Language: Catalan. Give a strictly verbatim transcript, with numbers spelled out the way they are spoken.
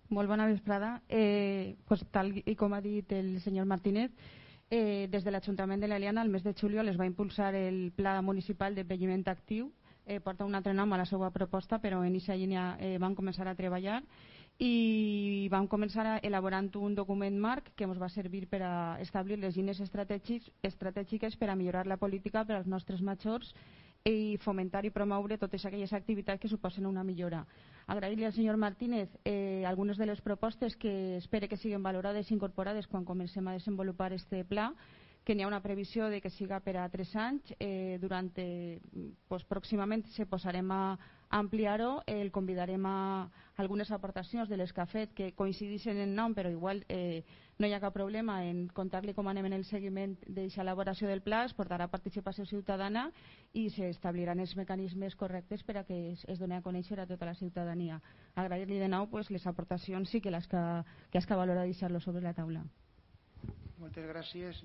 Molt bona vesprada. Eh, pues, tal i com ha dit el senyor Martínez, eh, des de l'Ajuntament de l'Eliana el mes de juliol es va impulsar el Pla Municipal d'Envelliment Actiu. Eh, porta un altre nom a la seva proposta, però en aquesta línia eh, vam començar a treballar i vam començar elaborant un document marc que ens va servir per a establir les línies estratègiques per a millorar la política per als nostres majors i fomentar i promoure totes aquelles activitats que suposen una millora. Agrair-li al senyor Martínez eh, algunes de les propostes que espere que siguin valorades i incorporades quan comencem a desenvolupar este pla, que n'hi ha una previsió de que siga per a tres anys. Eh, durant, eh, pues, pròximament se posarem a ampliar-ho, eh, el convidarem a algunes aportacions de les que ha fet que coincideixen en nom, però igual eh, no hi ha cap problema en contar-li com anem en el seguiment d'aquesta elaboració del pla. Es portarà participació ciutadana i s'establiran els mecanismes correctes per a que es, es doni a conèixer a tota la ciutadania. Agrair-li de nou pues, les aportacions i que les que, que has que valorar deixar-lo sobre la taula. Moltes gràcies.